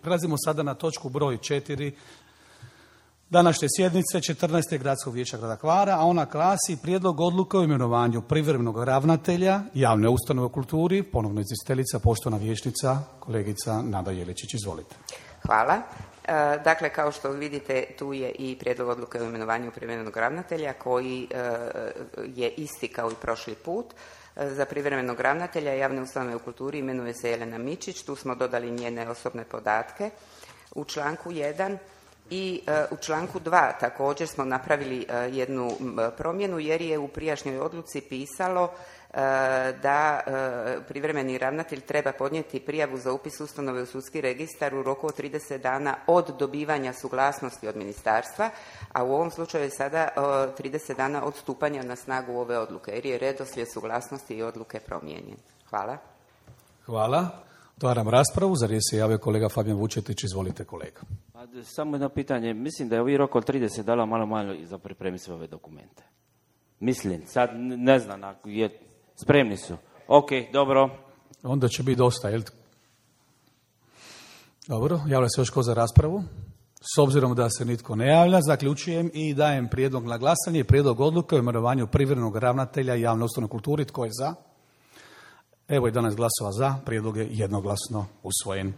Prelazimo sada na točku broj 4 današnje sjednice 14. Gradskog vijeća grada Hvara, a ona glasi Prijedlog odluke o imenovanju privremenog ravnatelja javne ustanove u kulturi. Ponovno izvjestiteljica, poštovana vijećnica, kolegica Nada Jeličić. Izvolite. Hvala. Dakle, kao što vidite, tu je i prijedlog odluke o imenovanju privremenog ravnatelja koji je isti kao i prošli put. Za privremenog ravnatelja javne ustanove u kulturi imenuje se Jelena Mičić. Tu smo dodali njene osobne podatke u članku 1 i u članku 2 također smo napravili jednu promjenu jer je u prijašnjoj odluci pisalo da privremeni ravnatelj treba podnijeti prijavu za upis ustanove u sudski registar u roku od 30 dana od dobivanja suglasnosti od ministarstva, a u ovom slučaju je sada 30 dana od stupanja na snagu ove odluke jer je redoslijed suglasnosti i odluke promijenjen. Hvala. Hvala. Otvaram raspravu. Za riječ se javio kolega Fabijan Vučetić. Izvolite, kolega. Samo jedno pitanje. Mislim da je ovi rok od 30 dana malo za pripremiti sve ove dokumente. Mislim, sad ne znam, ako je spremni su. Ok, dobro. Onda će biti dosta, jel? Dobro, javlja se još ko za raspravu? S obzirom da se nitko ne javlja, zaključujem i dajem prijedlog na glasanje. Prijedlog odluke o imenovanju privremenog ravnatelja javne ustanove u kulturi. Tko je za? Evo 11 glasova za, prijedlog je jednoglasno usvojen.